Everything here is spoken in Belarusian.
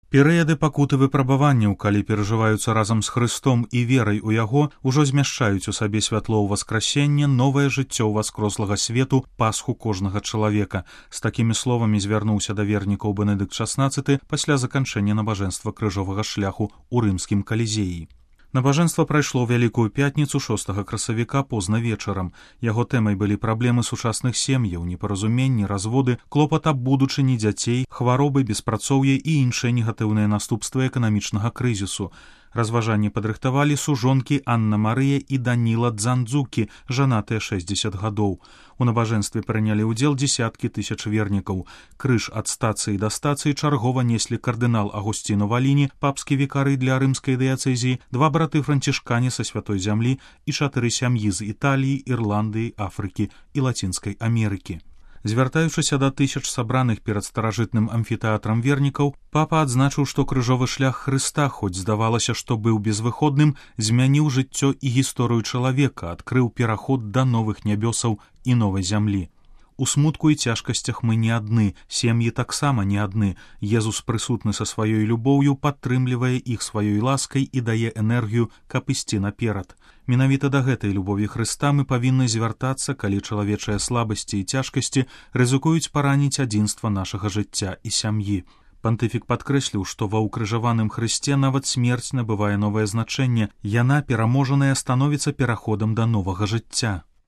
Перыяды пакуты выпрабаванняў, калі перажываюцца разам з Хрыстом і верай у яго, ужо змяшчаюць у сабе святло ўваскрасення, новае жыццё ўваскрослага свету, пасху кожнага чалавека. З такімі словамі звярнуўся да вернікаў Бенедыкт XVI пасля заканчэння набажэнства крыжовага шляху ў рымскім калізеі. Набажэнства прайшло Вялікую пятніцу 6 красавіка позна вечарам. Яго тэмай былі праблемы сучасных сем'яў, непаразуменні, разводы, клопат аб будучыні дзяцей, хваробы, беспрацоўе і іншыя негатыўныя наступствы эканамічнага крызісу. Разважанні падрыхтавалі сужонкі Анна Марыя і Даніла Дзандзукі, жанатыя 60 гадоў. У набажэнстве прынялі ўдзел дзесяткі тысяч вернікаў. Крыж ад стацыі да стацыі чаргова неслі кардынал Агусціно Валіні, папскі вікары для рымскай дыяцэзіі, два браты-францішкане са Святой зямлі і 4 сям'і з Італіі, Ірландыі, Афрыкі і Лацінскай Амерыкі. Звяртаючыся да тысяч сабраных перад старажытным амфітэатрам вернікаў, папа адзначыў, што крыжовы шлях Хрыста, хоць здавалася, што быў безвыходным, змяніў жыццё і гісторыю чалавека, адкрыў пераход да новых нябёсаў і новай зямлі. У смутку і цяжкасцях мы не адны, сем'і таксама не адны. Езус прысутны са сваёй любоўю, падтрымлівае іх сваёй ласкай і дае энергію, каб ісці наперад. Менавіта да гэтай любові Хрыста мы павінны звяртацца, калі чалавечыя слабасці і цяжкасці рызыкуюць параніць адзінства нашага жыцця і сям'і. Пантыфік падкрэсліў, што ва ўкрыжаваным Хрысце нават смерць набывае новае значэнне, яна, пераможаная, становіцца пераходам да новага жыцця.